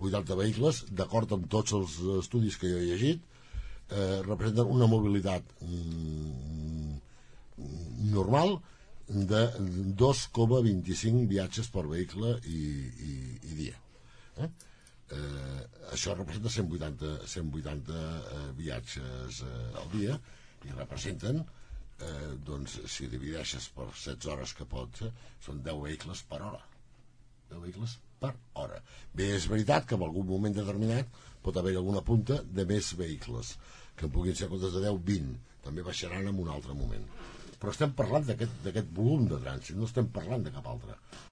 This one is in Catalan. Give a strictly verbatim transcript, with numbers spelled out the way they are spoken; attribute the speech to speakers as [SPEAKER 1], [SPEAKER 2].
[SPEAKER 1] vuitanta vehicles, d'acord amb tots els estudis que jo he llegit, eh, representen una mobilitat mm, normal de dos coma vint-i-cinc viatges per vehicle i, i, i dia. Eh? Eh, això representa cent vuitanta, cent vuitanta eh, viatges eh, al dia, i representen, eh, doncs, si divideixes per setze hores que pot, eh, són deu vehicles per hora. deu vehicles per hora. Bé, és veritat que en algun moment determinat pot haver alguna punta de més vehicles, que en puguin ser en comptes de deu, vint. També baixaran en un altre moment. Però estem parlant d'aquest volum de trànsit, no estem parlant de cap altre.